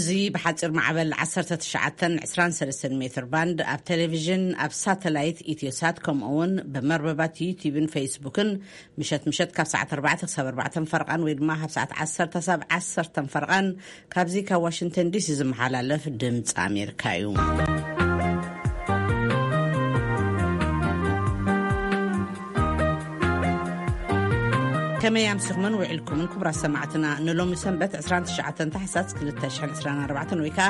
እዚ ብሓፂር ማዕበል ዓሰርተ ትሽዓተን ዕስራን ሰለስተን ሜትር ባንድ ኣብ ቴሌቪዥን፣ ኣብ ሳተላይት ኢትዮሳት፣ ከምኡ እውን ብመርበባት ዩቲዩብን ፌስቡክን ምሸት ምሸት ካብ ሰዓት ኣርባዕተ ክሳብ ኣርባዕተን ፈርቓን ወይ ድማ ካብ ሰዓት ዓሰርተ ክሳብ ዓሰርተን ፈርቓን ካብዚ ካብ ዋሽንግተን ዲሲ ዝመሓላለፍ ድምፂ ኣሜሪካ እዩ። ከመይ ኣምሲኹምን ውዒልኩምን ክቡራት ሰማዕትና? ንሎሚ ሰንበት ዕስራን ትሽዓተን ታሕሳስ ክልተ ሽሕን ዕስራን ኣርባዕተን ወይ ከዓ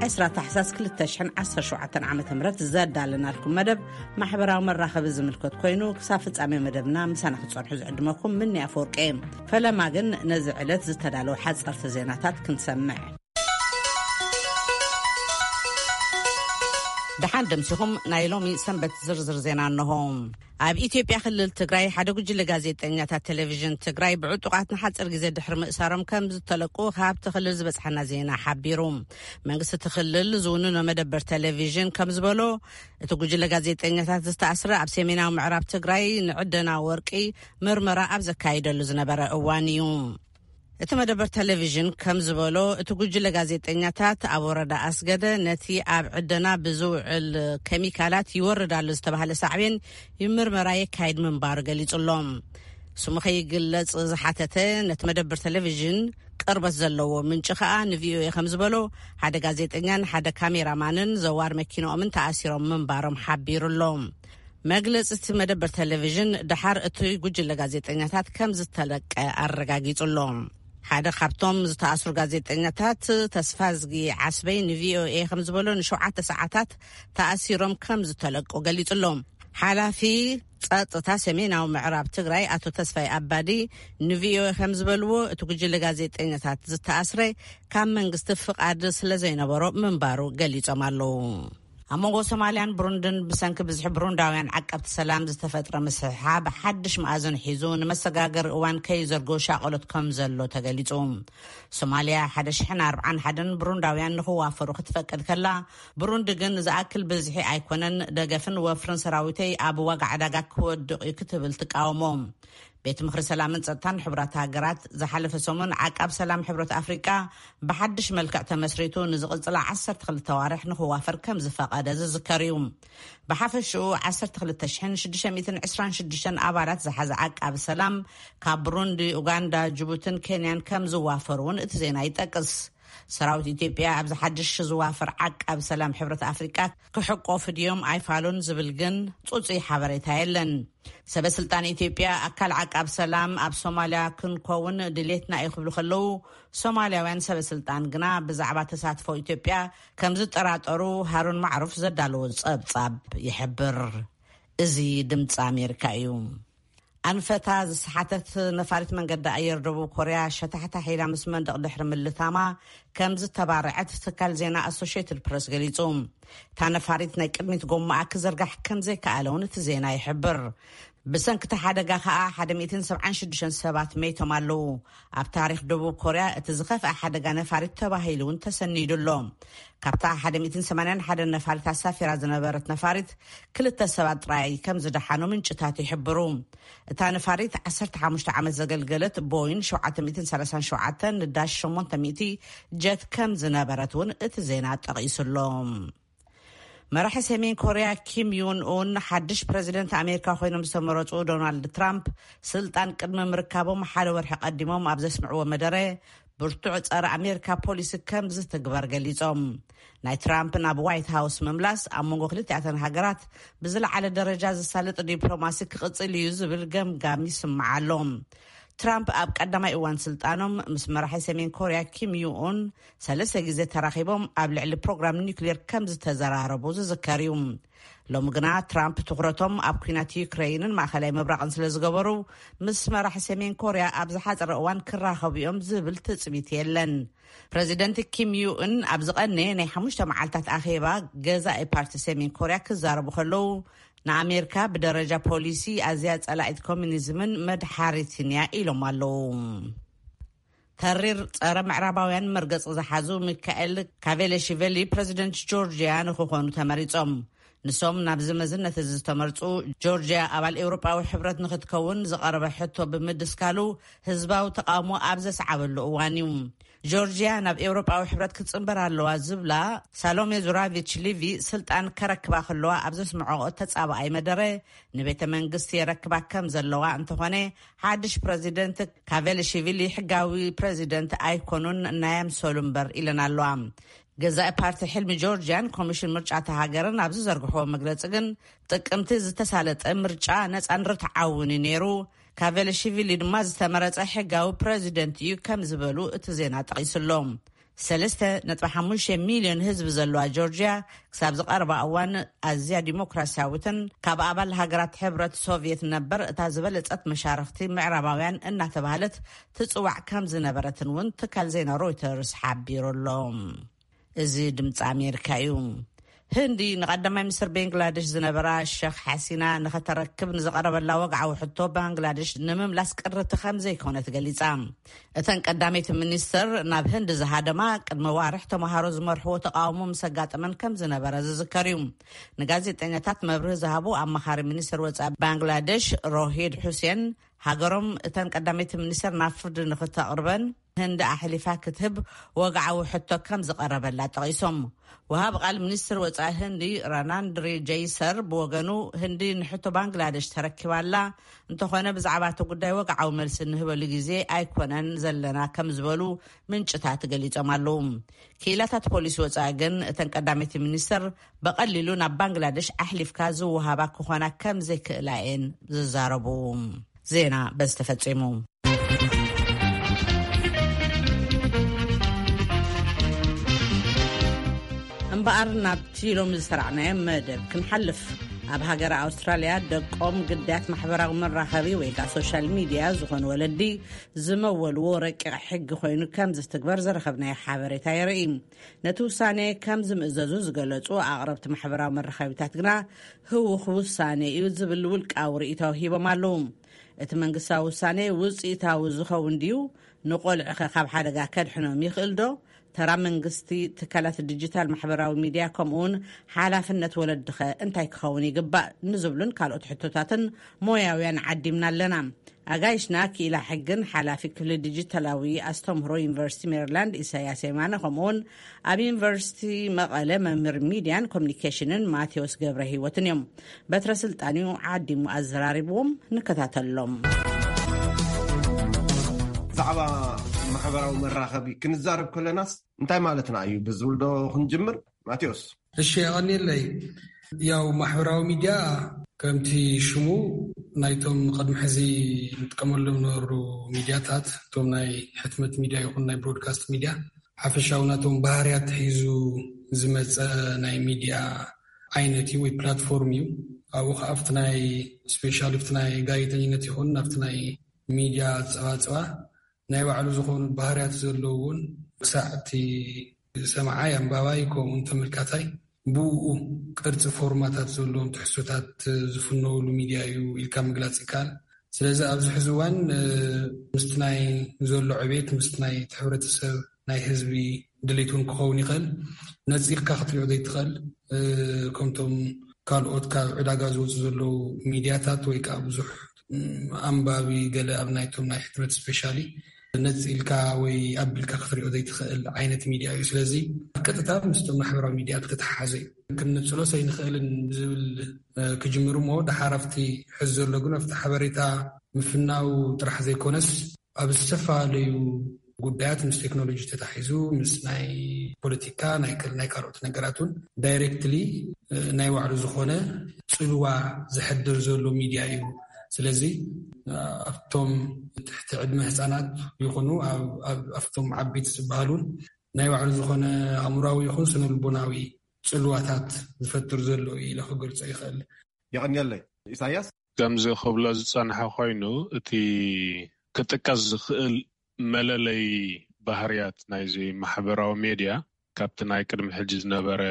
ዕስራ ታሕሳስ ክልተ ሽሕን ዓሰርተ ሸውዓተን ዓመተ ምህረት ዘዳለናልኩም መደብ ማሕበራዊ መራኸቢ ዝምልከት ኮይኑ፣ ክሳብ ፍጻሜ መደብና ምሳና ክትጸንሑ ዝዕድመኩም ምኒ ኣፈወርቂ። ፈለማ ግን ነዚ ዕለት ዝተዳለዉ ሓጸርቲ ዜናታት ክንሰምዕ። ደሓን ደምሲኹም። ናይ ሎሚ ሰንበት ዝርዝር ዜና እንሆ። ኣብ ኢትዮጵያ ክልል ትግራይ ሓደ ጉጅለ ጋዜጠኛታት ቴሌቪዥን ትግራይ ብዕጡቓት ንሓፂር ግዜ ድሕሪ ምእሳሮም ከም ዝተለቁ ካብቲ ክልል ዝበፅሐና ዜና ሓቢሩ። መንግስቲ እቲ ክልል ዝውንኖ መደበር ቴሌቪዥን ከም ዝበሎ፣ እቲ ጉጅለ ጋዜጠኛታት ዝተኣስረ ኣብ ሰሜናዊ ምዕራብ ትግራይ ንዕደና ወርቂ ምርመራ ኣብ ዘካይደሉ ዝነበረ እዋን እዩ። እቲ መደበር ቴሌቪዥን ከም ዝበሎ፣ እቲ ጉጅለ ጋዜጠኛታት ኣብ ወረዳ ኣስገደ ነቲ ኣብ ዕደና ብዝውዕል ኬሚካላት ይወርድ ኣሎ ዝተባህለ ሳዕቤን ይምርመራ የካይድ ምንባሩ ገሊጹ ኣሎ። ስሙ ከይግለጽ ዝሓተተ ነቲ መደበር ቴሌቪዥን ቅርበት ዘለዎ ምንጪ ከኣ ንቪኦኤ ከም ዝበሎ፣ ሓደ ጋዜጠኛን ሓደ ካሜራማንን ዘዋር መኪንኦምን ተኣሲሮም ምንባሮም ሓቢሩ ኣሎ። መግለጺ እቲ መደበር ቴሌቪዥን፣ ደሓር እቲ ጉጅለ ጋዜጠኛታት ከም ዝተለቀ ኣረጋጊጹ ኣሎ። ሓደ ካብቶም ዝተኣስሩ ጋዜጠኛታት፣ ተስፋዝጊ ዓስበይ፣ ንቪኦኤ ከም ዝበሎ፣ ንሸውዓተ ሰዓታት ተኣሲሮም ከም ዝተለቁ ገሊጹ ኣሎ። ሓላፊ ጸጥታ ሰሜናዊ ምዕራብ ትግራይ ኣቶ ተስፋይ ኣባዲ ንቪኦኤ ከም ዝበልዎ፣ እቲ ጉጅለ ጋዜጠኛታት ዝተኣስረ ካብ መንግስቲ ፍቓድ ስለ ዘይነበሮ ምንባሩ ገሊጾም ኣለዉ። ኣብ መንጎ ሶማልያን ብሩንድን ብሰንኪ ብዝሒ ብሩንዳውያን ዓቀብቲ ሰላም ዝተፈጥረ ምስሕሓብ ሓድሽ መኣዝን ሒዙ ንመሰጋገሪ እዋን ከይዘርጎ ሻቐሎት ከም ዘሎ ተገሊጹ። ሶማልያ ሓደ ሽሕን ኣርባዓን ሓደን ብሩንዳውያን ንኽዋፈሩ ክትፈቅድ ከላ፣ ብሩንዲ ግን ዝኣክል ብዝሒ ኣይኮነን፣ ደገፍን ወፍርን ሰራዊተይ ኣብ ዋጋ ዕዳጋ ክወድቕ እዩ ክትብል ትቃወሞ። ቤት ምኽሪ ሰላምን ጸጥታን ሕቡራት ሃገራት ዝሓለፈ ሰሙን ዓቃብ ሰላም ሕብረት ኣፍሪቃ ብሓድሽ መልክዕ ተመስሪቱ ንዝቕጽላ ዓሰርተ ክልተ ዋርሕ ንኽዋፈር ከም ዝፈቐደ ዝዝከር እዩ። ብሓፈሽኡ ዓሰርተ ክልተ ሽሕን ሽዱሽተ ሚእትን ዕስራን ሽዱሽተን ኣባላት ዝሓዘ ዓቃቢ ሰላም ካብ ብሩንዲ፣ ኡጋንዳ፣ ጅቡትን ኬንያን ከም ዝዋፈሩ እውን እቲ ዜና ይጠቅስ። ሰራዊት ኢትዮጵያ ኣብዚ ሓድሽ ዝዋፈር ዓቃቢ ሰላም ሕብረት ኣፍሪቃ ክሕቆፉ ድዮም ኣይፋሉን ዝብል ግን ጽጹይ ሓበሬታ የለን። ሰበ ስልጣን ኢትዮጵያ ኣካል ዓቃብ ሰላም ኣብ ሶማልያ ክንከውን ድሌትና እዩ ክብሉ ከለዉ፣ ሶማልያውያን ሰበ ስልጣን ግና ብዛዕባ ተሳትፎ ኢትዮጵያ ከም ዝጠራጠሩ ሃሩን ማዕሩፍ ዘዳለዎ ጸብጻብ ይሕብር። እዚ ድምፂ ኣሜሪካ እዩ። ኣንፈታ ዝሰሓተት ነፋሪት መንገዲ ኣየር ደቡብ ኮርያ ሸታሕታሕ ኢላ ምስ መንደቕ ድሕሪ ምልታማ ከም ዝተባረዐት ትካል ዜና ኣሶሽየትድ ፕረስ ገሊጹ። እታ ነፋሪት ናይ ቅድሚት ጎማኣ ክዝርጋሕ ከም ዘይከኣለ እውን እቲ ዜና ይሕብር። ብሰንኪ እቲ ሓደጋ ከኣ ሓደ ሚእትን ሰብዓን ሽዱሽተን ሰባት መይቶም ኣለዉ። ኣብ ታሪኽ ደቡብ ኮርያ እቲ ዝኸፍአ ሓደጋ ነፋሪት ተባሂሉ እውን ተሰኒዱ ኣሎ። ካብታ ሓደ ሚእትን ሰማንያን ሓደን ነፋሪት ኣሳፊራ ዝነበረት ነፋሪት ክልተ ሰባት ጥራይ ከም ዝደሓኑ ምንጭታት ይሕብሩ። እታ ነፋሪት ዓሰርተ ሓሙሽተ ዓመት ዘገልገለት ቦይን ሸውዓተ ሚእትን ሰላሳን ሸውዓተን ንዳሽ ሸሞንተ ሚእቲ ጀት ከም ዝነበረት እውን እቲ ዜና ጠቒሱ ኣሎ። መራሒ ሰሜን ኮርያ ኪም ዩን ኡን ሓድሽ ፕረዚደንት ኣሜሪካ ኮይኖም ዝተመረጹ ዶናልድ ትራምፕ ስልጣን ቅድሚ ምርካቦም ሓደ ወርሒ ቀዲሞም ኣብ ዘስምዕዎ መደረ፣ ብርቱዕ ጸረ ኣሜሪካ ፖሊሲ ከም ዝትግበር ገሊጾም። ናይ ትራምፕ ናብ ዋይት ሃውስ ምምላስ ኣብ መንጎ ክልቲኣተን ሃገራት ብዝለዓለ ደረጃ ዝሳለጥ ዲፕሎማሲ ክቕጽል እዩ ዝብል ገምጋም ይስማዕ ኣሎ። ትራምፕ ኣብ ቀዳማይ እዋን ስልጣኖም ምስ መራሒ ሰሜን ኮርያ ኪም ዩን ሰለስተ ግዜ ተራኺቦም ኣብ ልዕሊ ፕሮግራም ኒውክሌር ከም ዝተዘራረቡ ዝዝከር እዩ። ሎሚ ግና ትራምፕ ትኹረቶም ኣብ ኲናት ዩክሬይንን ማእኸላይ ምብራቕን ስለ ዝገበሩ፣ ምስ መራሒ ሰሜን ኮርያ ኣብ ዝሓጸረ እዋን ክራኸቡ እዮም ዝብል ትጽቢት የለን። ፕረዚደንት ኪም ዩን ኣብ ዝቐነየ ናይ ሓሙሽተ መዓልታት ኣኼባ ገዛኢ ፓርቲ ሰሜን ኮርያ ክዛረቡ ከለዉ፣ ንኣሜሪካ ብደረጃ ፖሊሲ ኣዝያ ጸላኢት ኮሚኒዝምን መድሓሪትን እያ ኢሎም ኣለዉ። ተሪር ጸረ ምዕራባውያን መርገጺ ዝሓዙ ሚካኤል ካቬለሽቨሊ ፕረዚደንት ጆርጅያ ንክኾኑ ተመሪጾም። ንሶም ናብዚ መዝነት እዚ ዝተመርጹ፣ ጆርጅያ ኣባል ኤውሮጳዊ ሕብረት ንክትከውን ዝቐረበ ሕቶ ብምድስካሉ ህዝባዊ ተቓውሞ ኣብ ዘስዓበሉ እዋን እዩ። ጆርጂያ ናብ ኤውሮጳዊ ሕብረት ክትጽንበር ኣለዋ ዝብላ ሳሎሜ ዙራቪች ሊቪ፣ ስልጣን ከረክባ ከለዋ ኣብ ዘስምዐኦ ተጻባኣይ መደረ፣ ንቤተ መንግስቲ የረክባ ከም ዘለዋ እንተኾነ፣ ሓድሽ ፕረዚደንት ካቬልሽቪሊ ሕጋዊ ፕረዚደንት ኣይኮኑን፣ ናይ ኣምሰሉ እምበር ኢለን ኣለዋ። ገዛኢ ፓርቲ ሕልሚ ጆርጂያን ኮሚሽን ምርጫ እታ ሃገርን ኣብ ዝዘርግሕዎ መግለጺ ግን፣ ጥቅምቲ ዝተሳለጠ ምርጫ ነጻን ርትዓውን እዩ ነይሩ፣ ካቬልሽቪሊ ድማ ዝተመረጸ ሕጋዊ ፕረዚደንት እዩ ከም ዝበሉ እቲ ዜና ጠቒሱ ኣሎ። ሰለስተ ነጥቢ ሓሙሽተ ሚልዮን ህዝቢ ዘለዋ ጆርጂያ ክሳብ ዝቐረባ እዋን ኣዝያ ዲሞክራሲያዊትን ካብ ኣባል ሃገራት ሕብረት ሶቭየት ነበር እታ ዝበለጸት መሻርኽቲ ምዕራባውያን እናተባህለት ትጽዋዕ ከም ዝነበረትን እውን ትካል ዜና ሮይተርስ ሓቢሩ ኣሎ። እዚ ድምፂ ኣሜሪካ እዩ። ህንዲ ንቀዳማይ ሚኒስትር ቤንግላዴሽ ዝነበራ ሸኽ ሓሲና ንኸተረክብ ንዝቐረበላ ወግዓዊ ሕቶ ባንግላዴሽ ንምምላስ ቅርብቲ ከም ዘይኮነት ገሊጻ። እተን ቀዳመይቲ ሚኒስትር ናብ ህንዲ ዝሃደማ ቅድሚ ዋርሕ ተምሃሮ ዝመርሕዎ ተቃውሞ ምስ ኣጋጠመን ከም ዝነበረ ዝዝከር እዩ። ንጋዜጠኛታት መብርሂ ዝሃቡ ኣማኻሪ ሚኒስትር ወጻኢ ባንግላዴሽ ሮሂድ ሑሴን፣ ሃገሮም እተን ቀዳመይቲ ሚኒስትር ናብ ፍርዲ ንክተቕርበን ህንዲ ኣሕሊፋ ክትህብ ወግዓዊ ሕቶ ከም ዝቐረበላ ጠቒሶም። ወሃብ ቃል ሚኒስትር ወጻኢ ህንዲ ራናንድሪ ጀይሰር ብወገኑ፣ ህንዲ ንሕቶ ባንግላደሽ ተረኪባላ፣ እንተኾነ ብዛዕባ እቲ ጉዳይ ወግዓዊ መልሲ ንህበሉ ግዜ ኣይኮነን ዘለና ከም ዝበሉ ምንጭታት ገሊጾም ኣለዉ። ክኢላታት ፖሊሲ ወጻኢ ግን እተን ቀዳመይቲ ሚኒስትር ብቐሊሉ ናብ ባንግላደሽ ኣሕሊፍካ ዝወሃባ ክኾና ከም ዘይክእላ እየን ዝዛረቡ። ዜና በዚ ተፈጺሙ። እምበኣር ናብቲ ሎም ዝሰራዕናዮ መደብ ክንሓልፍ። ኣብ ሃገር ኣውስትራልያ ደቆም ግዳያት ማሕበራዊ መራኸቢ ወይ ከዓ ሶሻል ሚድያ ዝኾኑ ወለዲ ዝመወልዎ ረቂቕ ሕጊ ኮይኑ ከም ዝትግበር ዝረኸብናዮ ሓበሬታ የርኢ። ነቲ ውሳኔ ከም ዝምእዘዙ ዝገለጹ ኣቕረብቲ ማሕበራዊ መራኸቢታት ግና ህውኽ ውሳኔ እዩ ዝብል ውልቃዊ ርእይቶ ሂቦም ኣለዉ። እቲ መንግስታዊ ውሳኔ ውጽኢታዊ ዝኸውን ድዩ? ንቆልዑኸ ካብ ሓደጋ ከድሕኖም ይኽእል ዶ? ተራ መንግስቲ፣ ትካላት ዲጂታል ማሕበራዊ ሚድያ ከምኡውን ሓላፍነት ወለድኸ እንታይ ክኸውን ይግባእ? ንዝብሉን ካልኦት ሕቶታትን ሞያውያን ዓዲምና ኣለና። ኣጋይሽና ክኢላ ሕግን ሓላፊ ክፍሊ ዲጂታላዊ ኣስተምህሮ ዩኒቨርሲቲ ሜሪላንድ ኢሳያስ የማነ ከምኡውን ኣብ ዩኒቨርሲቲ መቐለ መምህር ሚድያን ኮሚኒኬሽንን ማቴዎስ ገብረ ህይወትን እዮም። በትረ ስልጣንዩ ዓዲሙ ኣዘራሪብዎም። ንከታተሎም። ብዛዕባ ማሕበራዊ መራኸቢ ክንዛረብ ከለናስ እንታይ ማለትና እዩ ብዝብል ዶ ክንጅምር? ማቴዎስ። እሺ፣ የቐንየለይ። ያው ማሕበራዊ ሚድያ ከምቲ ሽሙ ናይቶም ቅድሚ ሕዚ ንጥቀመሎም ነበሩ ሚድያታት፣ እቶም ናይ ሕትመት ሚድያ ይኹን ናይ ብሮድካስት ሚድያ ሓፈሻዊ ናቶም ባህርያት ሒዙ ዝመፀ ናይ ሚድያ ዓይነት እዩ ወይ ፕላትፎርም እዩ። ኣብኡ ከዓ ኣብቲ ናይ ስፔሻሊ ኣብቲ ናይ ጋዜጠኝነት ይኹን ኣብቲ ናይ ሚድያ ፀባፅባ ናይ ባዕሉ ዝኾኑ ባህርያት ዘለዎን ክሳዕ እቲ ሰማዓይ ኣንባባይ ከምኡውን ተመልካታይ ብኡ ቅርፂ ፎርማታት ዘለዎም ትሕዝቶታት ዝፍነውሉ ሚድያ እዩ ኢልካ ምግላፅ ይከኣል። ስለዚ ኣብዚ ሕዚ እዋን ምስቲ ናይ ዘሎ ዕቤት ምስቲ ናይ ሕብረተሰብ ናይ ህዝቢ ድሌት እውን ክኸውን ይኽእል። ነፂልካ ክትሪኦ ዘይትኽእል ከምቶም ካልኦት ካብ ዕዳጋ ዝወፁ ዘለዉ ሚድያታት ወይ ከዓ ብዙሕ ኣንባቢ ገለ ኣብ ናይቶም ናይ ሕትመት ስፔሻሊ ነፂልካ ወይ ኣቢልካ ክትሪኦ ዘይትኽእል ዓይነት ሚድያ እዩ። ስለዚ ቀጥታ ምስቶም ማሕበራዊ ሚድያ ዝተተሓሓዘ እዩ። ክንነፅሎ ሰይንኽእልን ብዝብል ክጅምር እሞ ደሓር ኣብቲ ሕዚ ዘሎ ግን ኣብቲ ሓበሬታ ምፍናው ጥራሕ ዘይኮነስ ኣብ ዝተፈላለዩ ጉዳያት ምስ ቴክኖሎጂ ተታሒዙ ምስ ናይ ፖለቲካ ናይ ከል ናይ ካልኦት ነገራት እውን ዳይሬክትሊ ናይ ባዕሉ ዝኾነ ፅልዋ ዘሕድር ዘሎ ሚድያ እዩ። ስለዚ ኣብቶም ትሕቲ ዕድመ ህፃናት ይኹኑ ኣብቶም ዓበይቲ ዝበሃሉን ናይ ባዕሉ ዝኾነ ኣእምራዊ ይኹን ስነ ልቦናዊ ፅልዋታት ዝፈጥር ዘሎ እዩ ኢለ ክገልፆ ይኽእል። የቐንየለይ ኢሳያስ። ከምዚ ክብሎ ዝጸንሐ ኮይኑ እቲ ክጥቀስ ዝኽእል መለለይ ባህርያት ናይዚ ማሕበራዊ ሜድያ ካብቲ ናይ ቅድሚ ሕጂ ዝነበረ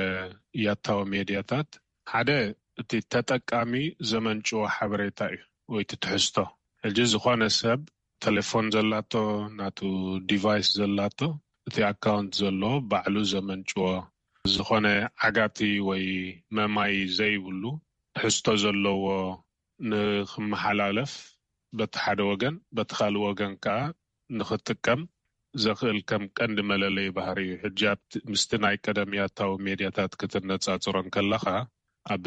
ያታዊ ሜድያታት ሓደ እቲ ተጠቃሚ ዘመንጭዎ ሓበሬታ እዩ ወይ እቲ ትሕዝቶ። ሕጂ ዝኾነ ሰብ ተሌፎን ዘላቶ ናቱ ዲቫይስ ዘላቶ እቲ ኣካውንት ዘሎ ባዕሉ ዘመንጭዎ ዝኾነ ዓጋቲ ወይ መማይ ዘይብሉ ትሕዝቶ ዘለዎ ንክመሓላለፍ በቲ ሓደ ወገን በቲ ካልእ ወገን ከዓ ንክጥቀም ዘኽእል ከም ቀንዲ መለለይ ባህሪ እዩ። ሕጂ ኣብቲ፣ ምስቲ ናይ ቀደም ያታዊ ሜድያታት ክትነጻጽሮ እንከለኻ፣ ኣብ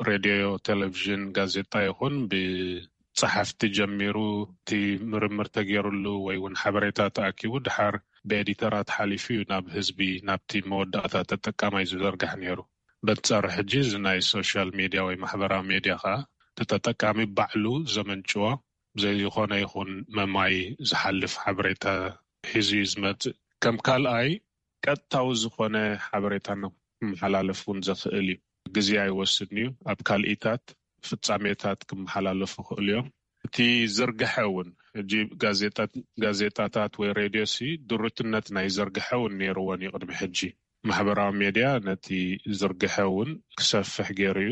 ሬድዮ፣ ቴሌቪዥን፣ ጋዜጣ ይኹን ብጸሓፍቲ ጀሚሩ፣ እቲ ምርምር ተገይሩሉ ወይ እውን ሓበሬታ ተኣኪቡ፣ ድሓር ብኤዲተራት ሓሊፉ እዩ ናብ ህዝቢ፣ ናብቲ መወዳእታ ተጠቃማይ ዝዘርጋሕ ነይሩ። በንጻሩ ሕጂ እዚ ናይ ሶሻል ሜድያ ወይ ማሕበራዊ ሜድያ ኸኣ፣ እቲ ተጠቃሚ ባዕሉ ዘመንጭዎ፣ ብዘይ ዝኾነ ይኹን መማይ ዝሓልፍ ሓበሬታ ሒዙ እዩ ዝመጽእ። ከም ካልኣይ፣ ቀጥታዊ ዝኾነ ሓበሬታ ክመሓላለፍ እውን ዘኽእል እዩ። ግዜ ኣይወስድን እዩ። ኣብ ካልኢታት ፍጻሜታት ክመሓላለፉ ይኽእሉ እዮም። እቲ ዝርግሐ እውን፣ ሕጂ ጋዜጣት-፣ ጋዜጣታት ወይ ሬድዮ ሲ ድሩትነት ናይ ዝርግሐ እውን ነይርወን እዩ ቅድሚ ሕጂ። ማሕበራዊ ሜድያ ነቲ ዝርግሐ እውን ክሰፍሕ ገይሩ እዩ።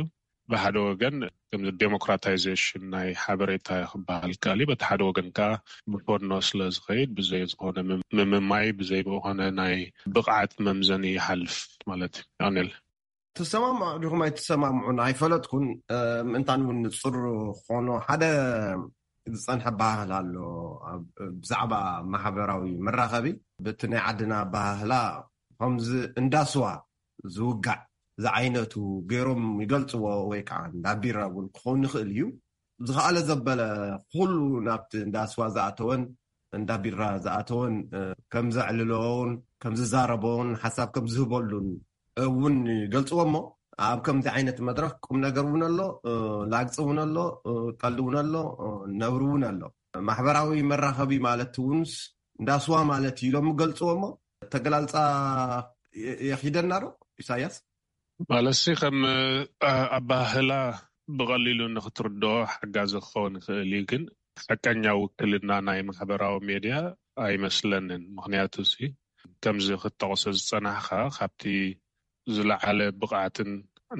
ብሓደ ወገን ከም ዴሞክራታይዜሽን ናይ ሓበሬታ ክበሃል ከኣል እዩ። በቲ ሓደ ወገን ከኣ ብፎኖ ስለ ዝኸይድ ብዘይ ዝኾነ ምም-፣ ምምማይ፣ ብዘይ ዝኾነ ናይ ብቕዓት መምዘኒ ይሓልፍ ማለት እዩ። ኣኔል። ትሰማምዑ ዲኹም ኣይትሰማምዑን ኣይፈለጥኩን። እ፣ ምእንታን እውን ንጹር ኾኖ ሓደ ዝጸንሐ ባህል ኣሎ። ኣብ፣ ብዛዕባ ማሕበራዊ መራኸቢ፣ በቲ ናይ ዓድና ባህላ ከምዚ እንዳስዋ ዝውጋዕ ዝዓይነቱ ገይሮም ይገልጽዎ፣ ወይ ከዓ እንዳ ቢራ እውን ክኸውን ይኽእል እዩ። ዝኸኣለ ዘበለ ኩሉ ናብቲ እንዳ ስዋ ዝኣተወን እንዳ ቢራ ዝኣተወን፣ እ፣ ከም ዘዕልሎን ከም ዝዛረቦን ሓሳብ ከም ዝህበሉን እውን ይገልጽዎ። እሞ ኣብ ከምዚ ዓይነት መድረኽ ቁም ነገር እውን ኣሎ፣ እ፣ ላግጺ እውን ኣሎ፣ እ፣ ቀልዲ እውን ኣሎ፣ እ፣ ነውሪ እውን ኣሎ። ማሕበራዊ መራኸቢ ማለት እውንስ እንዳ ስዋ ማለት እዩ ኢሎም ይገልጽዎ። እሞ ተገላልጻ የ-፣ የኺደና ዶ ኢሳያስ? ማለትሲ ከም፣ እ፣ ኣባህላ ብቐሊሉ ንክትርድኦ ሓጋዚ ክኸውን ይኽእል እዩ፣ ግን ሓቀኛ ውክልና ናይ ማሕበራዊ ሜድያ ኣይመስለንን። ምኽንያቱ ሲ ከምዚ ክትጠቕሶ ዝጸናሕካ ካብቲ ዝለዓለ ብቕዓትን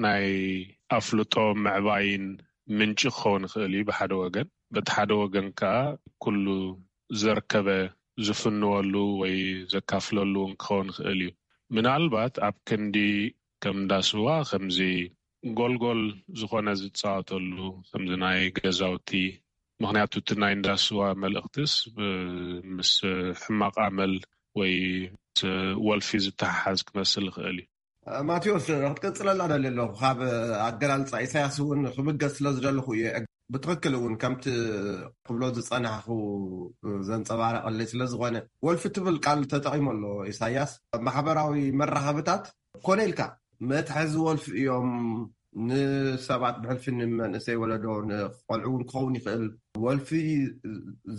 ናይ ኣፍልጦ ምዕባይን ምንጪ ክኸውን ይኽእል እዩ ብሓደ ወገን። በቲ ሓደ ወገን ከኣ ኩሉ ዘርከበ ዝፍንወሉ ወይ ዘካፍለሉ እውን ክኸውን ይኽእል እዩ። ምናልባት ኣብ ክንዲ ከም እንዳ ስዋ ከምዚ ጎልጎል ዝኾነ ዝጻወተሉ ከምዚ ናይ ገዛውቲ፣ ምኽንያቱ እቲ ናይ እንዳ ስዋ መልእኽትስ ብ-፣ ምስ ሕማቕ ኣመል ወይ ምስ ወልፊ ዝተሓሓዝ ክመስል ይኽእል እዩ። ማቴዎስ፣ ክትቅጽለላ ደልየ ኣለኹ። ካብ ኣገላልጻ ኢሳያስ እውን ክብገስ ስለ ዝደለኹ እየ። ብትኽክል እውን ከምቲ ክብሎ ዝጸናሕኹ ዘንጸባረቐለይ ስለ ዝኾነ፣ ወልፊ ትብል ቃል ተጠቒሙ ኣሎ ኢሳያስ። ኣብ ማሕበራዊ መራኸብታት ኮነ ኢልካ መትሐዚ ወልፊ እዮም። ንሰባት ብሕልፊ፣ ንመንእሰይ ወለዶ፣ ንቆልዑ እውን ክኸውን ይኽእል፣ ወልፊ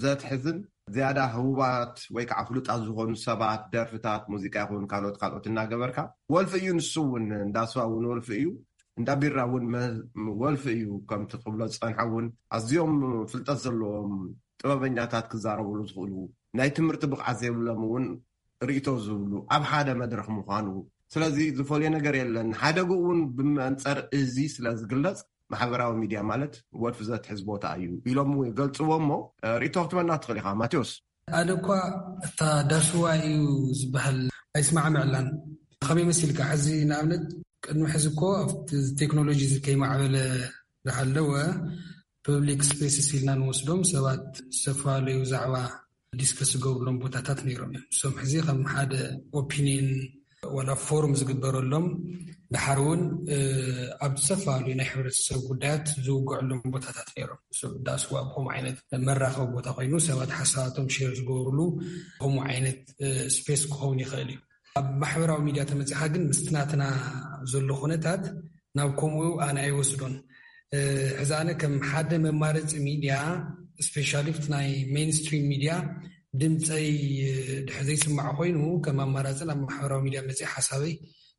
ዘትሕዝን ዝያዳ ህቡባት ወይ ከዓ ፍሉጣት ዝኾኑ ሰባት፣ ደርፍታት፣ ሙዚቃ ይኹን ካልኦት ካልኦት እናገበርካ፣ ወልፊ እዩ። ንሱ እውን እንዳ ስዋ እውን ወልፊ እዩ፣ እንዳ ቢራ እውን መ-፣ ወልፊ እዩ። ከምቲ ክብሎ ዝጸንሐ እውን ኣዝዮም ፍልጠት ዘለዎም ጥበበኛታት ክዛረብሉ ዝኽእሉ፣ ናይ ትምህርቲ ብቕዓት ዘይብሎም እውን ርእይቶ ዝብሉ ኣብ ሓደ መድረኽ ምዃኑ። ስለዚ ዝፈልዮ ነገር የለን። ሓደግኡ እውን ብመንጸር እዚ ስለ ዝግለጽ፣ ማሕበራዊ ሚድያ ማለት ወልፊ ዘትሕዝ ቦታ እዩ ኢሎም እውን ይገልጽዎ። እሞ፣ እ፣ ርእይቶ ክትበና ትኽእል ኢኻ ማቴዎስ። ኣነ እኳ እታ ዳስዋ እዩ ዝበሃል ኣይስማዕምዕላን። ከመይ መሲልካ? ሕዚ ንኣብነት ቅድሚ ሕዚ እኮ ኣብቲ ቴክኖሎጂ እዚ ከይማዕበለ ዝሃለወ ፐብሊክ ስፔስስ ኢልና ንወስዶም ሰባት ዝተፈላለዩ ዛዕባ ዲስከስ ዝገብሩሎም ቦታታት ነይሮም እዮም። እሶም ሕዚ ከም ሓደ ኦፒኒየን ዋላ ፎርም ዝግበረሎም፣ ድሓር እውን፣ እ፣ ኣብ ዝተፈላለዩ ናይ ሕብረተሰብ ጉዳያት ዝውግዐሎም ቦታታት ነይሮም። እሶም ዳስዋ ብከምኡ ዓይነት መራኸቢ ቦታ ኮይኑ ሰባት ሓሳባቶም ሼር ዝገብሩሉ ከምኡ ዓይነት፣ እ፣ ስፔስ ክኸውን ይኽእል እዩ። ኣብ ማሕበራዊ ሚድያ ተመጺኻ ግን ምስቲ ናትና ዘሎ ኩነታት ናብ ከምኡ ኣነ ኣይወስዶን። እ፣ ሕዚ ኣነ ከም ሓደ መማረጺ ሚድያ፣ ስፔሻሊ ኣብቲ ናይ ሜንስትሪም ሚድያ ድምፀይ፣ እ፣ ድሕር ዘይስማዕ ኮይኑ ከም ኣማራጺ ናብ ማሕበራዊ ሚድያ መጺእ ሓሳበይ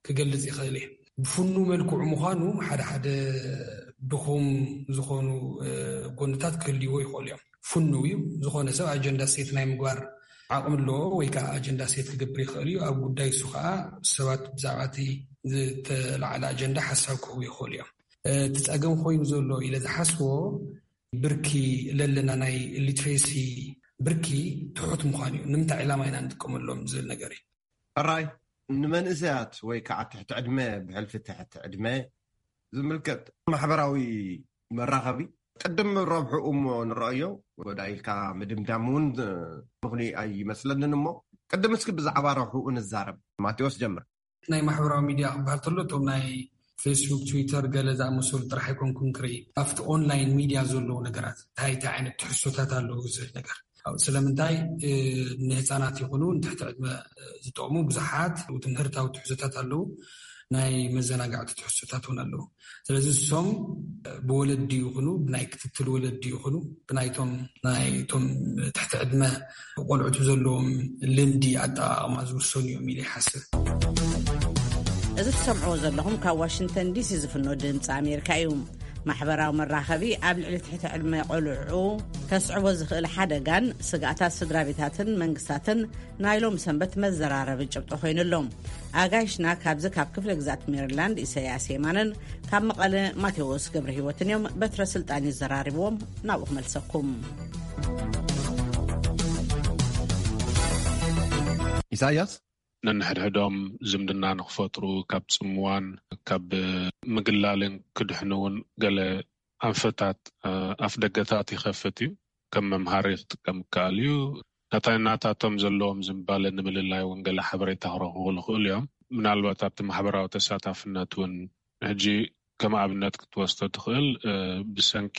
ክገልጽ ይኽእል እየ። ብፍኑ መልክዑ ምዃኑ ሓደ ሓደ ድኹም ዝኾኑ፣ እ፣ ጎንታት ክህልይዎ ይኽእሉ እዮም። ፍኑው እዩ። ዝኾነ ሰብ ኣጀንዳ ሴት ናይ ምግባር ዓቕሚ ኣለዎ ወይ ከዓ ኣጀንዳ ሴት ክገብር ይኽእል እዩ። ኣብ ጉዳይ እሱ ከዓ ሰባት ብዛዕባ እቲ ዝተላዕለ ኣጀንዳ ሓሳብ ክህቡ ይኽእሉ እዮም። እቲ ጸገም ኮይኑ ዘሎ ኢለ ዝሓስቦ ብርኪ ለለና ናይ ሊትሬሲ ብርኪ ትሑት ምዃን እዩ። ንምንታይ ዕላማ ኢና ንጥቀመሎም ዝብል ነገር እዩ። ሕራይ ንመንእሰያት ወይ ከዓ ትሕቲ ዕድመ፣ ብሕልፊ ትሕቲ ዕድመ ዝምልከት ማሕበራዊ መራኸቢ ቅድም ረብሑ እሞ ንረኣዮ፣ ወዳ ኢልካ ምድምዳም እውን ምኽኒ ኣይመስለንን። እሞ ቅድም እስኪ ብዛዕባ ረብሕኡ ንዛረብ። ማቴዎስ ጀምር። ናይ ማሕበራዊ ሚድያ ክበሃል ከሎ እቶም ናይ ፌስቡክ፣ ትዊተር፣ ገለ ዝኣመሰሉ ጥራሕ ኣይኮንኩን ክርኢ። ኣብቲ ኦንላይን ሚድያ ዘለዉ ነገራት እንታይ እንታይ ዓይነት ትሕዝቶታት ኣለዉ ዝብል ነገር። ስለምንታይ ንህፃናት ይኹኑ ንትሕቲ ዕድመ ዝጠቕሙ ብዙሓት ትምህርታዊ ትሕዝቶታት ኣለዉ፣ ናይ መዘናጋዕቲ ትሕዝቶታት እውን ኣለዉ። ስለዚ እሶም ብወለዲ ይኹኑ ብናይ ክትትል ወለዲ ይኹኑ ብናይቶም ናይቶም ትሕቲ ዕድመ ቆልዑት ብዘለዎም ልምዲ ኣጠቓቕማ ዝውሰኑ እዮም ኢለ ይሓስብ። እዚ ትሰምዕዎ ዘለኹም ካብ ዋሽንግተን ዲሲ ዝፍኖ ድምፂ ኣሜሪካ እዩ። ማሕበራዊ መራኸቢ ኣብ ልዕሊ ትሕቲ ዕድመ ቆልዑ ከስዕቦ ዝኽእል ሓደጋን ስጋኣታት ስድራ ቤታትን መንግስታትን ናይ ሎም ሰንበት መዘራረቢ ጭብጦ ኮይኑሎም። ኣጋይሽና ካብዚ ካብ ክፍለ ግዛት ሜሪላንድ ኢሰያስ የማንን ካብ መቐለ ማቴዎስ ገብረ ህይወትን እዮም። በትረ ስልጣን ይዘራርብዎም። ናብኡ ክመልሰኩም። ኢሳያስ፣ ነንሕድሕዶም ዝምድና ንክፈጥሩ ካብ ፅምዋን ካብ ምግላልን ክድሕኑ እውን ገለ ኣንፈታት ኣፍ ደገታት ይኸፍት እዩ። ከም መምሃሪ ክጥቀም ይከኣል እዩ። ናታይ ናታቶም ዘለዎም ዝንባለ ንምልላይ እውን ገለ ሓበሬታ ክረኽቡ ይኽእሉ እዮም። ምናልባት ኣብቲ ማሕበራዊ ተሳታፍነት እውን ሕጂ ከም ኣብነት ክትወስዶ ትኽእል። ብሰንኪ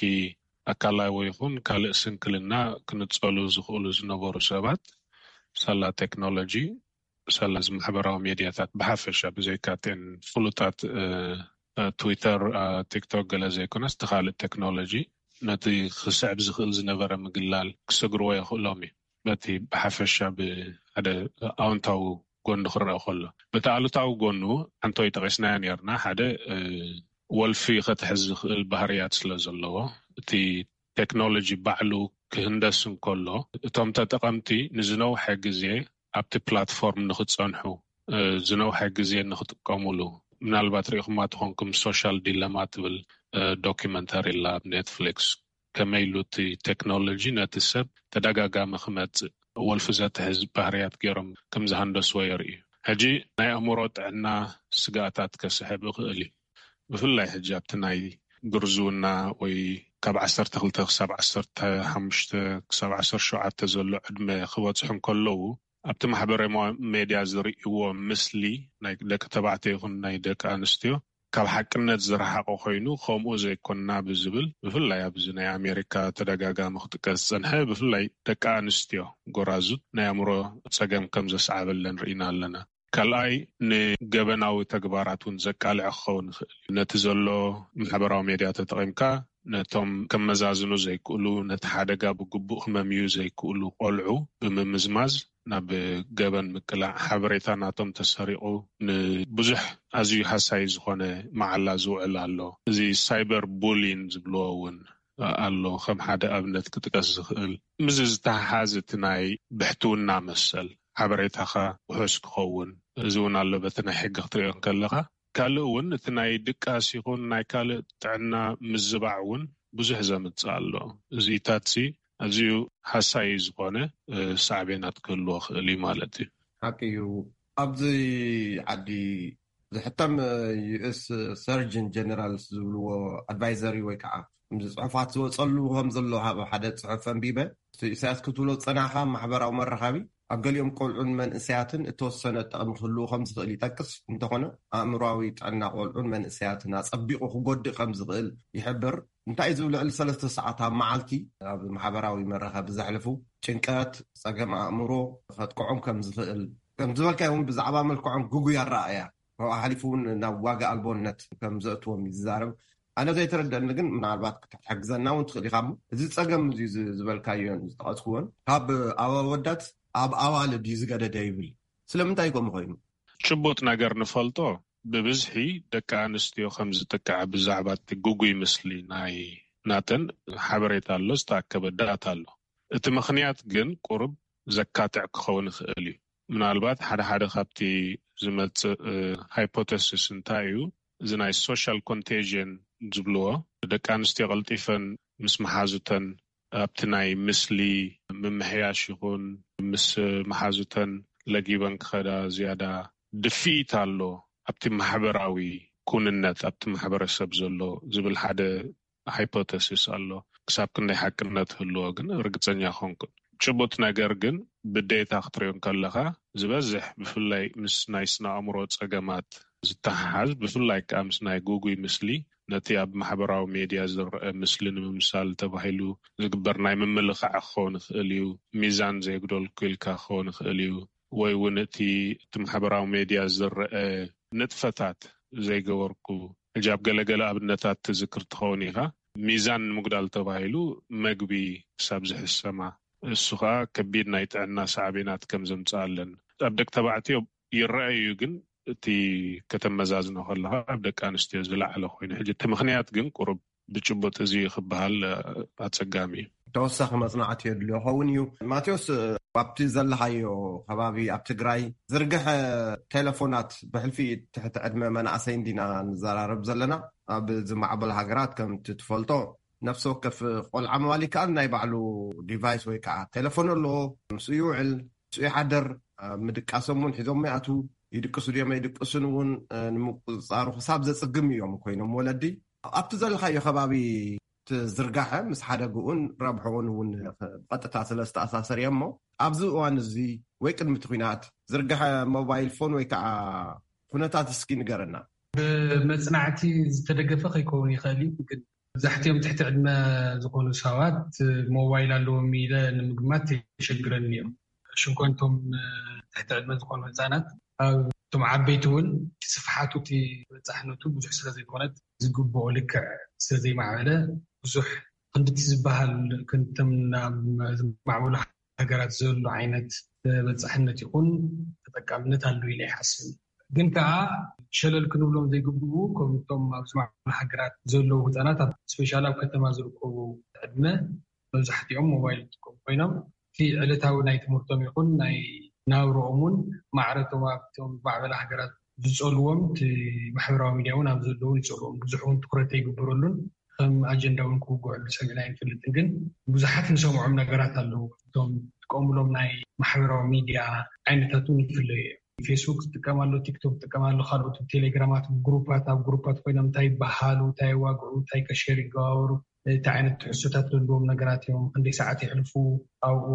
ኣካላዊ ይኹን ካልእ ስንክልና ክንጸሉ ዝኽእሉ ዝነበሩ ሰባት ሳላ ቴክኖሎጂ፣ ሳላ እዚ ማሕበራዊ ሜድያታት ብሓፈሻ ብዘይካተን ፍሉጣት ትዊተር፣ ቲክቶክ ገለ ዘይኮነስ ተኻልእ ቴክኖሎጂ ነቲ ክስዕብ ዝኽእል ዝነበረ ምግላል ክሰግርዎ የኽእሎም እዩ። በቲ ብሓፈሻ ብሓደ ኣውንታዊ ጎኑ ክረአ ከሎ፣ በቲ ኣሉታዊ ጎኑ ሓንቶይ ጠቂስናዮ ነርና። ሓደ ወልፊ ከትሕዝ ዝኽእል ባህርያት ስለ ዘለዎ፣ እቲ ቴክኖሎጂ ባዕሉ ክህንደስ እንከሎ፣ እቶም ተጠቐምቲ ንዝነውሐ ግዜ ኣብቲ ፕላትፎርም ንክጸንሑ፣ ዝነውሐ ግዜ ንክጥቀሙሉ፣ ምናልባት ሪኢኹማ ትኾንኩም ሶሻል ዲለማ ትብል ዶኪመንተሪ ላ ኣብ ኔትፍሊክስ፣ ከመይ ኢሉ እቲ ቴክኖሎጂ ነቲ ሰብ ተደጋጋሚ ክመጽእ ወልፊ ዘትሕዝ ባህርያት ገይሮም ከም ዝሃንደስዎ የርኢ። ሕጂ ናይ ኣእምሮ ጥዕና ስጋኣታት ከስሕብ ይኽእል እዩ። ብፍላይ ሕጂ ኣብቲ ናይ ግርዝውና ወይ ካብ ዓሰርተ ክልተ ክሳብ ዓሰርተ ሓሙሽተ ክሳብ ዓሰርተ ሸውዓተ ዘሎ ዕድመ ክበጽሑ እንከለዉ፣ ኣብቲ ማሕበራዊ ሜድያ ዝርእይዎ ምስሊ ናይ ደቂ ተባዕትዮ ይኹን ናይ ደቂ ኣንስትዮ ካብ ሓቅነት ዝረሓቐ ኮይኑ፣ ከምኡ ዘይኮንና ብዝብል፣ ብፍላይ ኣብዚ ናይ ኣሜሪካ ተደጋጋሚ ክጥቀስ ዝጸንሐ፣ ብፍላይ ደቂ ኣንስትዮ ጎራዙት ናይ ኣእምሮ ጸገም ከም ዘስዓበለን ርኢና ኣለና። ካልኣይ፣ ንገበናዊ ተግባራት እውን ዘቃልዕ ክኸውን ይኽእል እዩ። ነቲ ዘሎ ማሕበራዊ ሜድያ ተጠቒምካ ነቶም ከመዛዝኑ ዘይክእሉ፣ ነቲ ሓደጋ ብግቡእ ክመምዩ ዘይክእሉ ቆልዑ ብምምዝማዝ፣ ናብ ገበን ምቅላዕ፣ ሓበሬታ ናቶም ተሰሪቑ ንብዙሕ ኣዝዩ ሃሳይ ዝኾነ መዓላ ዝውዕል ኣሎ። እዚ ሳይበር ቡሊን ዝብልዎ እውን ኣሎ፣ ከም ሓደ ኣብነት ክጥቀስ ዝኽእል። ምስዚ ዝተሓሓዝ እቲ ናይ ብሕትውና መሰል፣ ሓበሬታኻ ውሑስ ክኸውን፣ እዚ እውን ኣሎ በቲ ናይ ሕጊ ክትሪኦ እንከለኻ። ካልእ እውን እቲ ናይ ድቃስ ይኹን ናይ ካልእ ጥዕና ምዝባዕ እውን ብዙሕ ዘምጽእ ኣሎ። እዚታት ሲ ኣዝዩ ሃሳዪ ዝኾነ ሳዕቤናት ክህልዎ ክእል እዩ ማለት እዩ። ሓቂ እዩ። ኣብዚ ዓዲ ዝሕተም ዩኤስ ሰርጅን ጀነራልስ ዝብልዎ ኣድቫይዘሪ ወይ ከዓ ከምዚ ፅሑፋት ዝወፀሉ ከም ዘሎ ሓደ ፅሑፍ ኣንቢበ። ኢሳያስ ክትብሎ ዝፀናሕካ ማሕበራዊ መራኸቢ ኣብ ገሊኦም ቆልዑን መንእሰያትን እተወሰነ ጠቕሚ ክህልዎ ከም ዝኽእል ይጠቅስ። እንተኾነ ኣእምሮዊ ጥዕና ቆልዑን መንእሰያትን ኣጸቢቑ ክጎድእ ከም ዝኽእል ይሕብር። እንታይ ዝብል ልዕሊ ሰለስተ ሰዓት ኣብ መዓልቲ ኣብ ማሕበራዊ መራኸቢ ዘሕልፉ ጭንቀት፣ ጸገም ኣእምሮ ከጥቅዖም ከም ዝኽእል ከም ዝበልካዮ እውን ብዛዕባ መልክዖም ግጉይ ኣረኣእያ ካብኡ ሓሊፉ እውን ናብ ዋጋ ኣልቦነት ከም ዘእትዎም እዩ ዝዛረብ። ኣነ ዘይተረደኒ ግን ምናልባት ክትሕግዘና እውን ትኽእል ኢኻ። እዚ ጸገም እዚ ዝበልካዮን ዝጠቐስክዎን ካብ ኣወዳት ኣብ ኣዋልድ እዩ ዝገደደ ይብል። ስለምንታይ ከምኡ ኮይኑ? ጭቡጥ ነገር ንፈልጦ ብብዝሒ ደቂ ኣንስትዮ ከም ዝጥቃዓ ብዛዕባ እቲ ግጉይ ምስሊ ናይ ናተን ሓበሬታ ኣሎ፣ ዝተኣከበ ዳታ ኣሎ። እቲ ምኽንያት ግን ቁሩብ ዘካትዕ ክኸውን ይኽእል እዩ። ምናልባት ሓደ ሓደ ካብቲ ዝመጽእ ሃይፖተሲስ እንታይ እዩ፣ እዚ ናይ ሶሻል ኮንቴዥን ዝብልዎ፣ ደቂ ኣንስትዮ ቀልጢፈን ምስ መሓዙተን ኣብቲ ናይ ምስሊ ምምሕያሽ ይኹን ምስ መሓዙተን ለጊበን ክኸዳ ዝያዳ ድፍኢት ኣሎ ኣብቲ ማሕበራዊ ኩንነት ኣብቲ ማሕበረሰብ ዘሎ ዝብል ሓደ ሃይፖተሲስ ኣሎ። ክሳብ ክንደይ ሓቅነት ህልዎ ግን ርግፀኛ ኮንኩን። ጭቡጥ ነገር ግን ብዴታ ክትሪኦ እንከለኻ ዝበዝሕ ብፍላይ ምስ ናይ ስነ ኣእምሮ ጸገማት ዝተሓሓዝ ብፍላይ ከዓ ምስ ናይ ጉጉይ ምስሊ ነቲ ኣብ ማሕበራዊ ሜድያ ዝረአ ምስሊ ንምምሳል ተባሂሉ ዝግበር ናይ ምምልኻዕ ክኸውን ይኽእል እዩ። ሚዛን ዘየጉደልኩ ኢልካ ክኸውን ይኽእል እዩ። ወይ እውን እቲ እቲ ማሕበራዊ ሜድያ ዝረአ ንጥፈታት ዘይገበርኩ ሕጂ ኣብ ገለገለ ኣብነታት ትዝክር ትኸውን ኢኻ። ሚዛን ንምጉዳል ተባሂሉ መግቢ ክሳብ ዝሕሰማ እሱ ከዓ ከቢድ ናይ ጥዕና ሳዕቤናት ከም ዘምፅኣለን ኣብ ደቂ ተባዕትዮ ይረኣዩ። ግን እቲ ከተመዛዝኖ ከለካ ኣብ ደቂ ኣንስትዮ ዝለዓለ ኮይኑ ሕጂ እቲ ምክንያት ግን ቁሩብ ብጭቡጥ እዚ ክበሃል ኣጸጋሚ እዩ። ተወሳኺ መጽናዕቲ የድልዮ ኸውን እዩ። ማቴዎስ፣ ኣብቲ ዘለኻዮ ከባቢ ኣብ ትግራይ ዝርግሐ ቴሌፎናት ብሕልፊ ትሕቲ ዕድመ መናእሰይ እንዲና ንዘራረብ ዘለና። ኣብ ዝማዕበሉ ሃገራት ከምቲ ትፈልጦ ነፍሲ ወከፍ ቆልዓ ምባል ይከኣል ናይ ባዕሉ ዲቫይስ ወይ ከዓ ቴሌፎን ኣለዎ። ምስኡ ይውዕል፣ ምስኡ ይሓደር። ኣብ ምድቃሶም እውን ሒዞም ይኣቱ። ይድቅሱ ድዮም ኣይድቅሱን እውን ንምቁፅፃሩ ክሳብ ዘፅግም እዮም ኮይኖም ወለዲ። ኣብቲ ዘለካዮ ከባቢ ዝርጋሐ ምስ ሓደግኡን ረብሕኡን እውን ብቐጥታ ስለ ዝተኣሳሰር እዮ እሞ ኣብዚ እዋን እዚ ወይ ቅድሚ እቲ ኩናት ዝርግሐ ሞባይል ፎን ወይ ከዓ ኩነታት እስኪ ንገረና። ብመፅናዕቲ ዝተደገፈ ከይከውን ይኽእል እዩ፣ ግን መብዛሕትኦም ትሕቲ ዕድመ ዝኾኑ ሰባት ሞባይል ኣለዎም ኢለ ንምግማት የሸግረኒ እዮም። ሽንኮንቶም ትሕቲ ዕድመ ዝኾኑ ህፃናት ኣብ እቶም ዓበይቲ እውን እቲ ስፍሓቱ እቲ በፃሕነቱ ብዙሕ ስለ ዘይኮነት ዝግብኦ ልክዕ ስለ ዘይማዕበለ ብዙሕ ክንድቲ ዝበሃል ክንድቶም ናብ ዝማዕበሉ ሃገራት ዘሎ ዓይነት ተበፃሕነት ይኹን ተጠቃምነት ኣሎ ኢለ ይሓስብ። ግን ከዓ ሸለል ክንብሎም ዘይግብኡ ከምቶም ኣብ ዝማዕበሉ ሃገራት ዘለዉ ህፃናት ስፔሻል ኣብ ከተማ ዝርከቡ ዕድመ መብዛሕትኦም ሞባይል ዝጥቀሙ ኮይኖም እቲ ዕለታዊ ናይ ትምህርቶም ይኹን ናይ ናብረኦም እውን ማዕረቶም ኣብቶም ማዕበላ ሃገራት ዝፀልዎም እቲ ማሕበራዊ ሚድያ እውን ኣብ ዘለዉ ይፀልዎም ብዙሕ እውን ትኩረት ኣይግበረሉን ከም ኣጀንዳ እውን ክውግዐሉ ሰሚዕና ኣይንፈልጥን። ግን ብዙሓት ንሰምዖም ነገራት ኣለዉ። እቶም ዝጥቀሙሎም ናይ ማሕበራዊ ሚድያ ዓይነታት እውን ይፍለዩ እዮም። ፌስቡክ ዝጥቀም ኣሎ፣ ቲክቶክ ዝጥቀም ኣሎ፣ ካልኦት ቴሌግራማት ግሩፓት ኣብ ግሩፓት ኮይኖም እንታይ ይበሃሉ፣ እንታይ የዋግዑ፣ እንታይ ከሸር ይገባበሩ፣ እንታይ ዓይነት ትሕዝቶታት ዘለዎም ነገራት እዮም፣ ክንደይ ሰዓት የሕልፉ ኣብኡ፣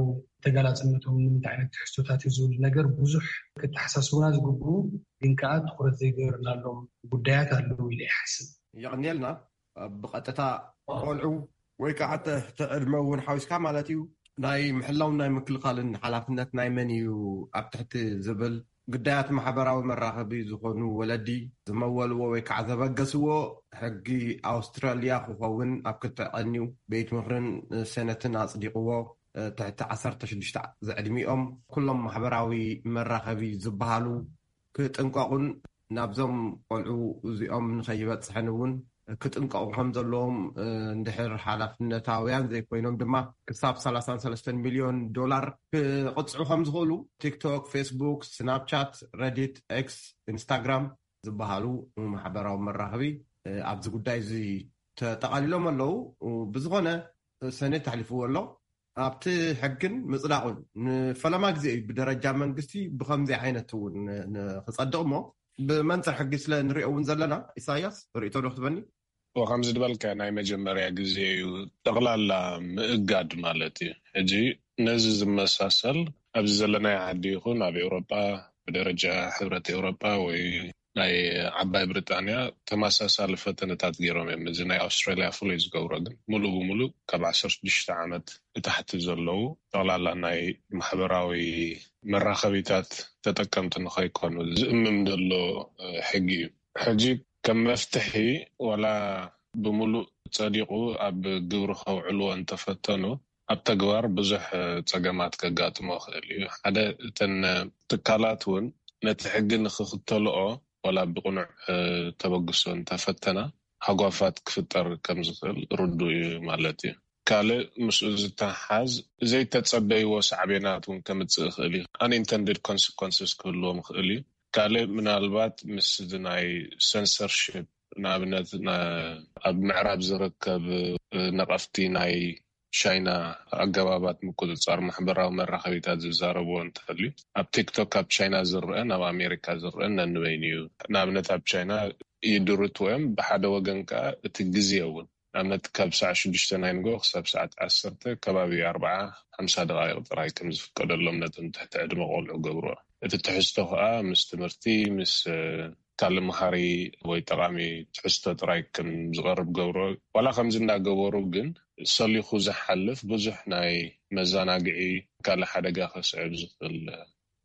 ተጋላፅነቶም ንምንታይ ዓይነት ትሕዝቶታት እዩ ዝብል ነገር ብዙሕ ክተሓሳስቡና ዝግብኡ ግን ከዓ ትኩረት ዘይገበርናሎም ጉዳያት ኣለዉ ኢለ ይሓስብ። የቐንየልና። ብቐጥታ ቆልዑ ወይ ከዓ ትሕቲ ዕድመ እውን ሓዊስካ ማለት እዩ ናይ ምሕላውን ናይ ምክልኻልን ሓላፍነት ናይ መን እዩ ኣብ ትሕቲ ዝብል ግዳያት ማሕበራዊ መራኸቢ ዝኾኑ ወለዲ ዝመወልዎ ወይ ከዓ ዘበገስዎ ሕጊ ኣውስትራልያ ክኸውን ኣብ ክትዕቀንዩ ቤት ምኽርን ሴነትን ኣፅዲቕዎ ትሕቲ ዓሰርተ ሽዱሽተ ዝዕድሚኦም ኩሎም ማሕበራዊ መራኸቢ ዝበሃሉ ክጥንቀቑን ናብዞም ቆልዑ እዚኦም ንኸይበፅሐን እውን ክጥንቀቑ ከም ዘለዎም እንድሕር ሓላፍነታውያን ዘይኮይኖም ድማ ክሳብ ሰላሳን ሰለስተን ሚሊዮን ዶላር ክቕፅዑ ከም ዝኽእሉ ቲክቶክ፣ ፌስቡክ፣ ስናፕቻት፣ ረዲት፣ ኤክስ፣ ኢንስታግራም ዝበሃሉ ማሕበራዊ መራኸቢ ኣብዚ ጉዳይ እዚ ተጠቓሊሎም ኣለዉ። ብዝኾነ ሰኔት ተሕሊፍዎ ኣሎ። ኣብቲ ሕግን ምፅዳቑን ንፈለማ ግዜ እዩ ብደረጃ መንግስቲ ብከምዚ ዓይነት እውን ንክፀድቕ እሞ ብመንፅር ሕጊ ስለ ንሪኦ እውን ዘለና። ኢሳያስ ርእቶ ዶ ክትበኒ? ከምዚ ዝበልካ ናይ መጀመርያ ግዜ እዩ ጠቕላላ ምእጋድ ማለት እዩ። ሕጂ ነዚ ዝመሳሰል ኣብዚ ዘለናይ ዓዲ ይኹን ኣብ ኤውሮጳ ብደረጃ ሕብረት ኤውሮጳ ወይ ናይ ዓባይ ብሪጣንያ ተመሳሳሊ ፈተነታት ገይሮም እዮም። እዚ ናይ ኣውስትራልያ ፍሉይ ዝገብሮ ግን ሙሉእ ብሙሉእ ካብ ዓሰርተ ሽዱሽተ ዓመት ንታሕቲ ዘለዉ ጠቕላላ ናይ ማሕበራዊ መራኸቢታት ተጠቀምቲ ንኸይኮኑ ዝእምም ዘሎ ሕጊ እዩ። ሕጂ ከም መፍትሒ ዋላ ብሙሉእ ጸዲቑ ኣብ ግብሪ ከውዕልዎ እንተፈተኑ ኣብ ተግባር ብዙሕ ጸገማት ከጋጥሞ ይኽእል እዩ። ሓደ እተን ትካላት እውን ነቲ ሕጊ ንክኽተልኦ ዋላ ብቕኑዕ ተበግሶ እንተፈተና ሃጓፋት ክፍጠር ከም ዝኽእል ርዱእ እዩ ማለት እዩ። ካልእ ምስኡ ዝተሓዝ ዘይተጸበይዎ ሳዕቤናት እውን ከምጽእ ይኽእል እዩ። Unintended consequences ክህልዎም ይኽእል እዩ። ካልእ ምናልባት ምስ ናይ censorship ንኣብነት ኣብ ምዕራብ ዝርከብ ነቐፍቲ ናይ ቻይና ኣገባባት ምቁፅፃር ማሕበራዊ መራኸቢታት ዝዛረብዎ እንተልዩ ኣብ ቲክቶክ ኣብ ቻይና ዝረአ ናብ ኣሜሪካ ዝረአ ነንበይኑ እዩ። ንኣብነት ኣብ ቻይና ይድርት ወይም ብሓደ ወገን ከዓ እቲ ግዜ እውን ንኣብነት ካብ ሰዓት ሽዱሽተ ናይ ንጎ ክሳብ ሰዓት ዓሰርተ ከባቢ ኣርባዓ ሓምሳ ደቃይቕ ጥራይ ከም ዝፍቀደሎም ነቶም ትሕቲ ዕድመ ቆልዑ ገብርኦ። እቲ ትሕዝቶ ከዓ ምስ ትምህርቲ፣ ምስ ካልእ መሃሪ ወይ ጠቃሚ ትሕዝቶ ጥራይ ከም ዝቐርብ ገብሮ። ዋላ ከምዚ እናገበሩ ግን ሰሊኹ ዝሓልፍ ብዙሕ ናይ መዘናግዒ፣ ካልእ ሓደጋ ከስዕብ ዝኽእል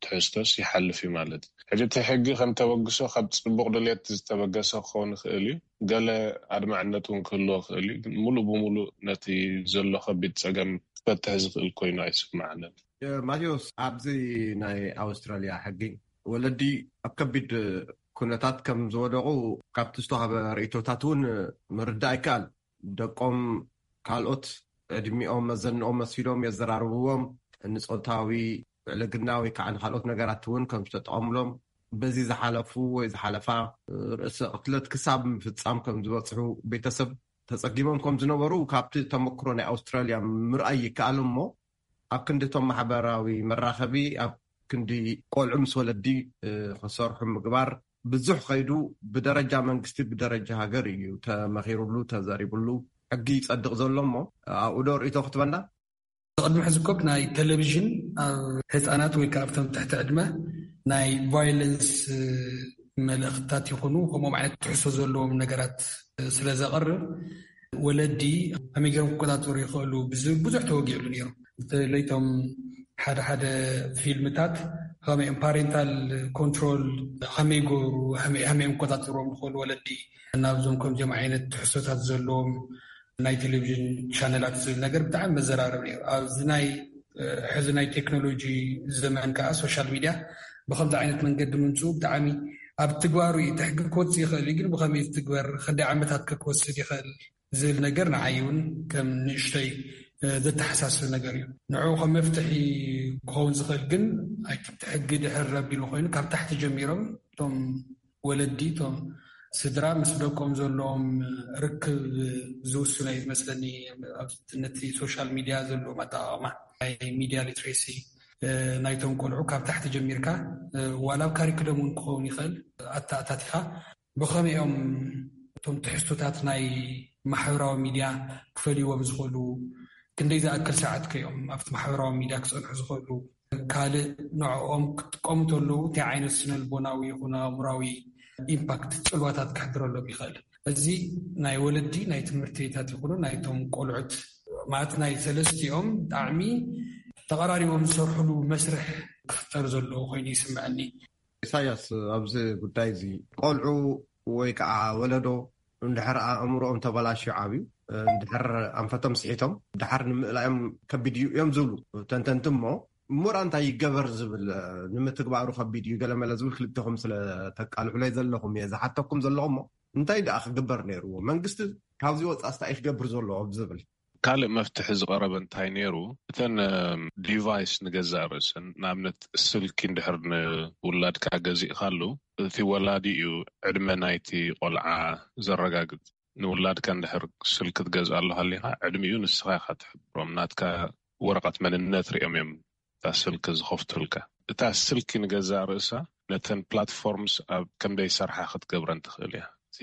ትሕዝቶስ ይሓልፍ እዩ ማለት እዩ። ሕጂ እቲ ሕጊ ከም ተበግሶ ካብ ጽቡቕ ድልየት ዝተበገሰ ክኸውን ይኽእል እዩ። ገለ ኣድማዕነት እውን ክህልዎ ይኽእል እዩ። ግን ሙሉእ ብሙሉእ ነቲ ዘሎ ከቢድ ጸገም ክፈትሕ ዝኽእል ኮይኑ ኣይስምዓንን። ማቴዎስ፣ ኣብዚ ናይ ኣውስትራልያ ሕጊ ወለዲ ኣብ ከቢድ ኩነታት ከም ዝወደቑ ካብቲ ዝተዋህበ ርእይቶታት እውን ምርዳእ ይከኣል። ደቆም ካልኦት ዕድሚኦም መዘንኦም መሲሎም የዘራርብዎም፣ ንጾታዊ ዕልግና ወይ ከዓ ንካልኦት ነገራት እውን ከም ዝተጠቐምሎም፣ በዚ ዝሓለፉ ወይ ዝሓለፋ ርእሰ ቅትለት ክሳብ ምፍጻም ከም ዝበጽሑ ቤተሰብ ተጸጊሞም ከም ዝነበሩ ካብቲ ተመክሮ ናይ ኣውስትራልያ ምርኣይ ይከኣል። እሞ ኣብ ክንዲ እቶም ማሕበራዊ መራኸቢ ኣብ ክንዲ ቆልዑ ምስ ወለዲ ክሰርሑ ምግባር ብዙሕ ከይዱ ብደረጃ መንግስቲ ብደረጃ ሃገር እዩ ተመኺሩሉ ተዘሪብሉ ሕጊ ይጸድቕ ዘሎ። እሞ ኣብኡ ዶ ርእይቶ ክትበና? ቅድሚ ሕዚ ኮብ ናይ ቴሌቪዥን ኣብ ህፃናት ወይ ከዓ ኣብቶም ትሕቲ ዕድመ ናይ ቫይለንስ መልእኽትታት ይኹኑ ከምኦም ዓይነት ትሕሶ ዘለዎም ነገራት ስለ ዘቕርብ ወለዲ ከመይ ገይሮም ክቆፃፀሩ ይኽእሉ ብዙሕ ተወጊዕሉ ነይሩ። ለይቶም ሓደ ሓደ ፊልምታት ከመይ ፓሬንታል ኮንትሮል ከመይ ይገብሩ ከመይ ይቆፃፀርዎም ዝኽእሉ ወለዲ ናብዞም ከምዚኦም ዓይነት ትሕሶታት ዘለዎም ናይ ቴሌቪዥን ቻነላት ዝብል ነገር ብጣዕሚ መዘራረብ ነይሩ። ኣብዚ ናይ ሕዚ ናይ ቴክኖሎጂ ዘመን ከዓ ሶሻል ሚድያ ብከምዚ ዓይነት መንገዲ ምምፅኡ ብጣዕሚ ኣብ ትግባሩ እዩ። እቲ ሕጊ ክወፅእ ይኽእል እዩ፣ ግን ብኸመይ ትግበር፣ ክንደይ ዓመታት ከ ክወስድ ይኽእል ዝብል ነገር ንዓይ እውን ከም ንእሽተይ ዘተሓሳስብ ነገር እዩ። ንዕኡ ከም መፍትሒ ክኸውን ዝኽእል ግን እቲ ሕጊ ድሕር ረቢሉ ኮይኑ ካብ ታሕቲ ጀሚሮም እቶም ወለዲ እቶም ስድራ ምስ ደቆም ዘለዎም ርክብ ዝውስኖ እዩ ዝመስለኒ። ነቲ ሶሻል ሚድያ ዘለዎም ኣጠቃቅማ ናይ ሚድያ ሊትሬሲ ናይቶም ቆልዑ ካብ ታሕቲ ጀሚርካ ዋላ ኣብ ካሪክለም እውን ክኸውን ይኽእል ኣተኣታቲኻ ብኸመይኦም እቶም ትሕዝቶታት ናይ ማሕበራዊ ሚድያ ክፈልይዎም ዝኽእሉ፣ ክንደይ ዝኣክል ሰዓት ከዮም ኣብቲ ማሕበራዊ ሚድያ ክፀንሑ ዝኽእሉ፣ ካልእ ንዕኦም ክጥቀሙ ተለዉ እንታይ ዓይነት ስነልቦናዊ ይኹን ኣእምራዊ ኢምፓክት ፅልዋታት ክሕድረሎም ይኽእል። እዚ ናይ ወለዲ ናይ ትምህርቲታት ይኹኑ ናይቶም ቆልዑት ማለት ናይ ሰለስቲኦም ብጣዕሚ ተቐራሪቦም ዝሰርሕሉ መስርሕ ክፍጠር ዘለዎ ኮይኑ ይስምዐኒ። ኢሳያስ፣ ኣብዚ ጉዳይ እዚ ቆልዑ ወይ ከዓ ወለዶ እንድሕር ኣእምሮኦም ተበላሽዩ ዓብዩ፣ እንድሕር ኣንፈቶም ስሒቶም ድሓር ንምእላዮም ከቢድ እዩ እዮም ዝብሉ ተንተንቲ። እሞ እሙራ እንታይ ይገበር ዝብል ንምትግባሩ ከቢድ እዩ ገለመለ ዝብል ክልተኹም ስለ ተቃልሑለይ ዘለኹም እየ ዝሓተኩም ዘለኹ። እሞ እንታይ ደኣ ክግበር ነይርዎ? መንግስቲ ካብዚ ወፃ ስታይ ክገብር ዘለዎ ዝብል ካልእ መፍትሒ ዝቐረበ እንታይ ነይሩ? እተን ዲቫይስ ንገዛእ ርእሰን፣ ንኣብነት ስልኪ እንድሕር ንውላድካ ገዚእካሉ፣ እቲ ወላዲ እዩ ዕድመ ናይቲ ቆልዓ ዘረጋግጽ። ንውላድካ እንድሕር ስልኪ ትገዝኣሉ ሃሊኻ፣ ዕድሚኡ ንስኻ ኢኻ ትሕብሮም። ናትካ ወረቐት መንነት ሪኦም እዮም እታ ስልኪ ዝኸፍቱልካ። እታ ስልኪ ንገዛእ ርእሳ ነተን ፕላትፎርምስ ኣብ ከምደይ ሰርሓ ክትገብረን ትኽእል እያ። እቲ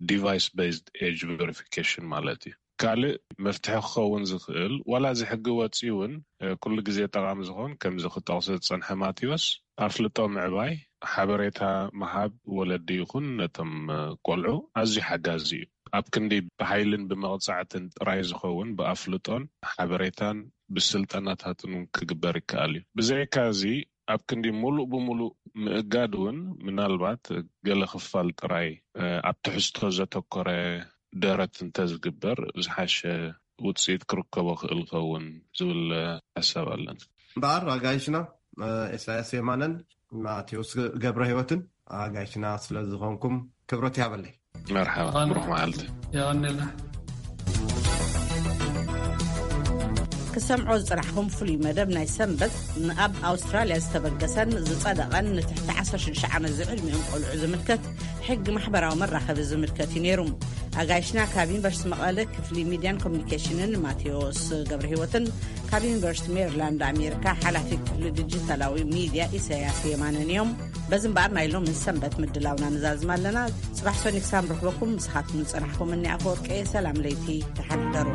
ዲቫይስ ቤዝድ ኤጅ ቨሪፊኬሽን ማለት እዩ። ካልእ መፍትሒ ክኸውን ዝኽእል ዋላ እዚ ሕጊ ወፂኡ እውን ኩሉ ግዜ ጠቓሚ ዝኾን ከምዚ ክጠቕሶ ዝፀንሐ ማቴዎስ ኣፍልጦ ምዕባይ ሓበሬታ ምሃብ ወለዲ ይኹን ነቶም ቆልዑ ኣዝዩ ሓጋዚ እዩ። ኣብ ክንዲ ብሓይልን ብመቕፃዕትን ጥራይ ዝኸውን ብኣፍልጦን ሓበሬታን ብስልጠናታትን እውን ክግበር ይከኣል እዩ። ብዘይካ እዚ ኣብ ክንዲ ሙሉእ ብሙሉእ ምእጋድ እውን ምናልባት ገለ ክፋል ጥራይ ኣብ ትሕዝቶ ዘተኮረ ደረት እንተዝግበር ዝሓሸ ውፅኢት ክርከቦ ክእል ኸውን ዝብል ሓሳብ ኣለኒ። እምበኣር ኣጋይሽና ኢሳያስ የማነን ማቴዎስ ገብረ ህይወትን ኣጋይሽና ስለዝኾንኩም ክብረት ይሃበለይ። መርሓባ፣ ብሩኽ መዓልቲ። የቐንልና። ክሰምዖ ዝፅናሕኹም ፍሉይ መደብ ናይ ሰንበት ንኣብ ኣውስትራልያ ዝተበገሰን ዝፀደቐን ንትሕቲ ዓሰርተ ሽዱሽተ ዓመት ዝዕድሚኦም ቆልዑ ዝምልከት ሕጊ ማሕበራዊ መራኸቢ ዝምልከት እዩ ነይሩ። ኣጋይሽና ካብ ዩኒቨርሲቲ መቐለ ክፍሊ ሚድያን ኮሚኒኬሽንን ማቴዎስ ገብረ ህይወትን ካብ ዩኒቨርሲቲ ሜሪላንድ ኣሜሪካ ሓላፊ ክፍሊ ዲጂታላዊ ሚድያ ኢሳያስ የማነን እዮም። በዚ እምበኣር ናይ ሎሚ ሰንበት ምድላውና ንዛዝም ኣለና። ጽባሕ ሰኒ ክሳብ ንረኽበኩም፣ ምሳኻትኩም ዝጸናሕኩም እኒ ኣፈወርቂ። ሰላም ለይቲ፣ ደሓን ሕደሩ።